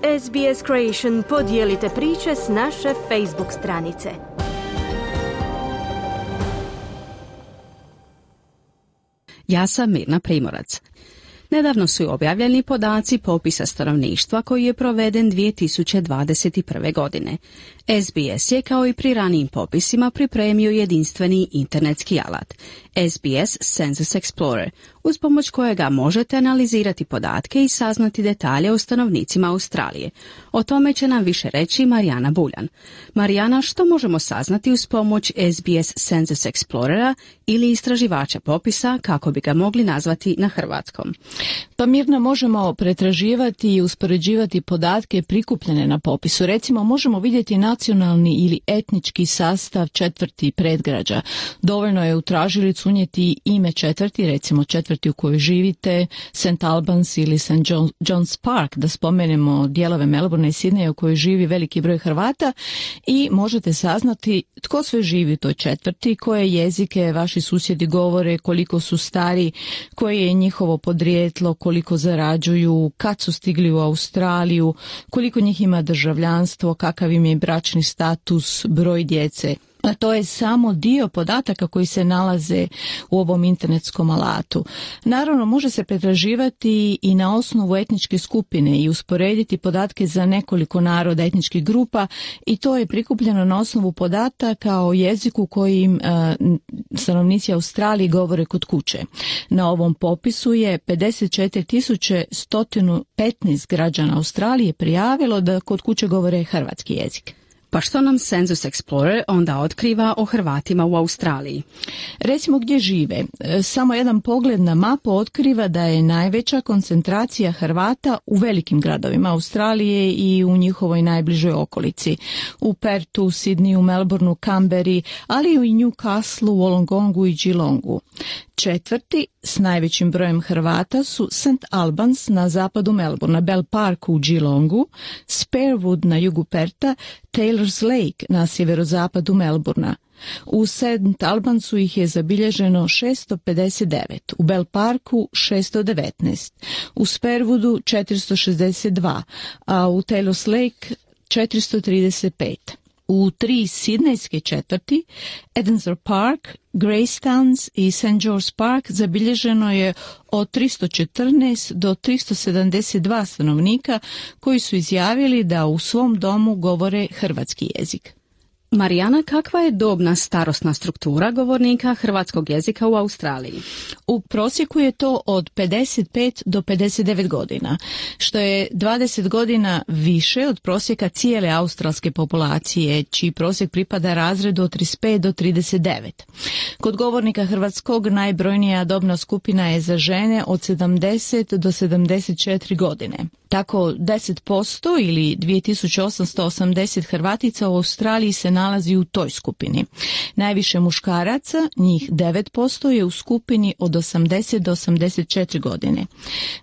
SBS Creation podijelite priče s naše Facebook stranice. Ja sam Mirna Primorac. Nedavno su objavljeni podaci popisa stanovništva koji je proveden 2021. godine. SBS je kao i pri ranijim popisima pripremio jedinstveni internetski alat, SBS Census Explorer, uz pomoć kojega možete analizirati podatke i saznati detalje o stanovnicima Australije. O tome će nam više reći Marijana Buljan. Marijana, što možemo saznati uz pomoć SBS Census Explorera ili istraživača popisa, kako bi ga mogli nazvati na hrvatskom? Pa Mirna, možemo pretraživati i uspoređivati podatke prikupljene na popisu. Recimo, možemo vidjeti nacionalni ili etnički sastav četvrti predgrađa. Dovoljno je u tražilicu unijeti ime četvrti, recimo četvrti u kojoj živite, St. Albans ili St. John's Park, da spomenemo dijelove Melbourne i Sydneya u kojoj živi veliki broj Hrvata, i možete saznati tko sve živi u toj četvrti, koje jezike vaši susjedi govore, koliko su stari, koje je njihovo podrijetlo, koliko zarađuju, kad su stigli u Australiju, koliko njih ima državljanstvo, kakav im je bračni status, broj djece. A to je samo dio podataka koji se nalaze u ovom internetskom alatu. Naravno, može se pretraživati i na osnovu etničke skupine i usporediti podatke za nekoliko naroda, etničkih grupa, i to je prikupljeno na osnovu podataka o jeziku kojim stanovnici Australije govore kod kuće. Na ovom popisu je 54.115 građana Australije prijavilo da kod kuće govore hrvatski jezik. Pa što nam Census Explorer onda otkriva o Hrvatima u Australiji? Recimo gdje žive. Samo jedan pogled na mapu otkriva da je najveća koncentracija Hrvata u velikim gradovima Australije i u njihovoj najbližoj okolici. U Pertu, Sydneyu, Melbourneu, Canberri, ali i u Newcastleu, Wollongongu i Geelongu. Četvrti s najvećim brojem Hrvata su St. Albans na zapadu Melbournea, Bell Park u Geelongu, Sparewood na jugu Perta, Taylor's Lake na sjeverozapadu Melbournea. U St. Albansu ih je zabilježeno 659, u Bell Parku 619, u Sparewoodu 462, a u Taylor's Lake 435. U 3 sidnejske četvrti, Edensor Park, Greystown i St. George Park, zabilježeno je od 314 do 372 stanovnika koji su izjavili da u svom domu govore hrvatski jezik. Marijana, kakva je dobna starosna struktura govornika hrvatskog jezika u Australiji? U prosjeku je to od 55 do 59 godina, što je 20 godina više od prosjeka cijele australske populacije, čiji prosjek pripada razredu od 35 do 39. Kod govornika hrvatskog najbrojnija dobna skupina je za žene od 70 do 74 godine. Tako 10% ili 2880 Hrvatica u Australiji se nalazi u toj skupini. Najviše muškaraca, njih 9%, je u skupini od 80 do 84 godine.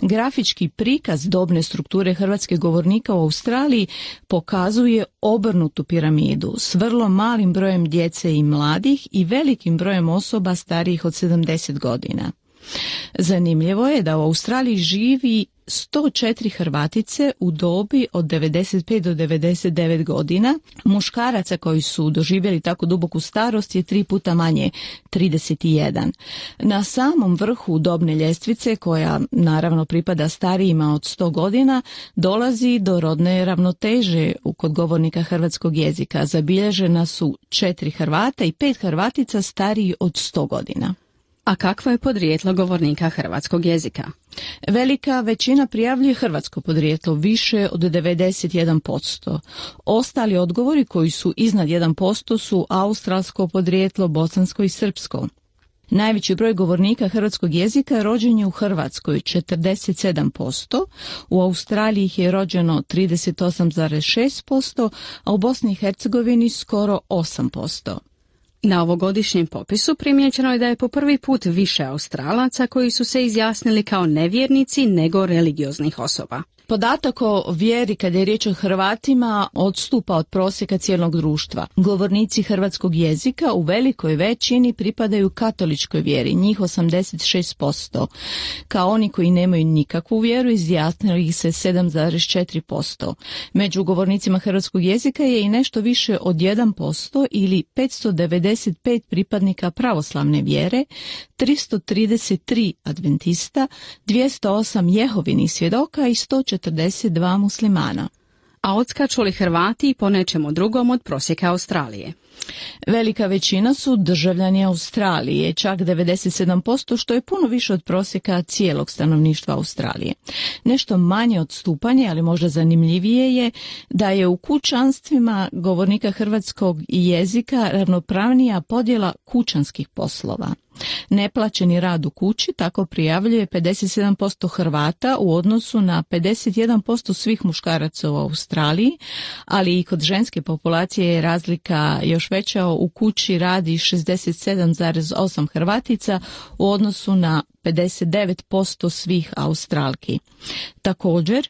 Grafički prikaz dobne strukture hrvatskih govornika u Australiji pokazuje obrnutu piramidu s vrlo malim brojem djece i mladih i velikim brojem osoba starijih od 70 godina. Zanimljivo je da u Australiji živi 104 Hrvatice u dobi od 95 do 99 godina. Muškaraca koji su doživjeli tako duboku starost je 3 puta manje, 31. Na samom vrhu dobne ljestvice, koja naravno pripada starijima od 100 godina, dolazi do rodne ravnoteže kod govornika hrvatskog jezika. Zabilježena su 4 Hrvata i 5 Hrvatica stariji od 100 godina. A kakvo je podrijetlo govornika hrvatskog jezika? Velika većina prijavljuje hrvatsko podrijetlo, više od 91%. Ostali odgovori koji su iznad 1% su australsko podrijetlo, bosansko i srpsko. Najveći broj govornika hrvatskog jezika rođen je u Hrvatskoj, 47%, u Australiji ih je rođeno 38,6%, a u Bosni i Hercegovini skoro 8%. Na ovogodišnjem popisu primijećeno je da je po prvi put više Australaca koji su se izjasnili kao nevjernici nego religioznih osoba. Podatak o vjeri kad je riječ o Hrvatima odstupa od prosjeka cijelog društva. Govornici hrvatskog jezika u velikoj većini pripadaju katoličkoj vjeri, njih 86%. Kao oni koji nemaju nikakvu vjeru izjasnili ih se 7,4%. Među govornicima hrvatskog jezika je i nešto više od 1% ili 595 pripadnika pravoslavne vjere, 333 adventista, 208 jehovinih svjedoka i 142 muslimana. A odskaču li Hrvati po nečemu drugom od prosjeka Australije? Velika većina su državljani Australije, čak 97%, što je puno više od prosjeka cijelog stanovništva Australije. Nešto manje odstupanje, ali možda zanimljivije je da je u kućanstvima govornika hrvatskog jezika ravnopravnija podjela kućanskih poslova. Neplaćeni rad u kući tako prijavljuje 57% Hrvata u odnosu na 51% svih muškaraca u Australiji, ali i kod ženske populacije je razlika još veća, u kući radi 67,8 Hrvatica u odnosu na 59% svih Australki. Također,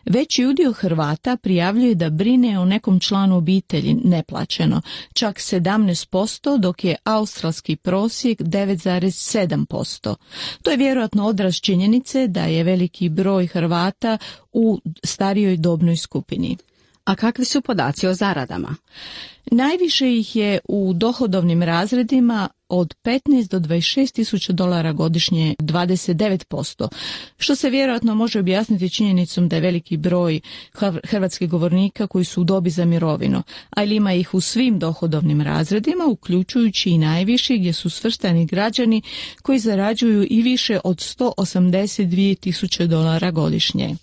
veći udio Hrvata prijavljuje da brine o nekom članu obitelji neplaćeno, čak 17%, dok je australski prosjek 9,7%. To je vjerojatno odraz činjenice da je veliki broj Hrvata u starijoj dobnoj skupini. A kakvi su podaci o zaradama? Najviše ih je u dohodovnim razredima od 15 do 26 tisuća dolara godišnje, 29%, što se vjerojatno može objasniti činjenicom da je veliki broj hrvatskih govornika koji su u dobi za mirovinu, ali ima ih u svim dohodovnim razredima, uključujući i najviši gdje su svrstani građani koji zarađuju i više od 182 tisuće dolara godišnje.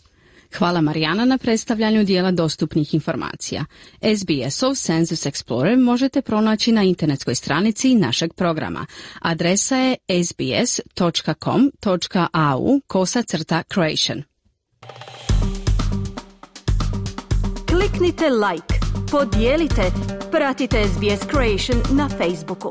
Hvala Marijana na predstavljanju dijela dostupnih informacija. SBS-ov Census Explorer možete pronaći na internetskoj stranici našeg programa. Adresa je sbs.com.au/Croatian. Kliknite like, podijelite, pratite SBS Croatian na Facebooku.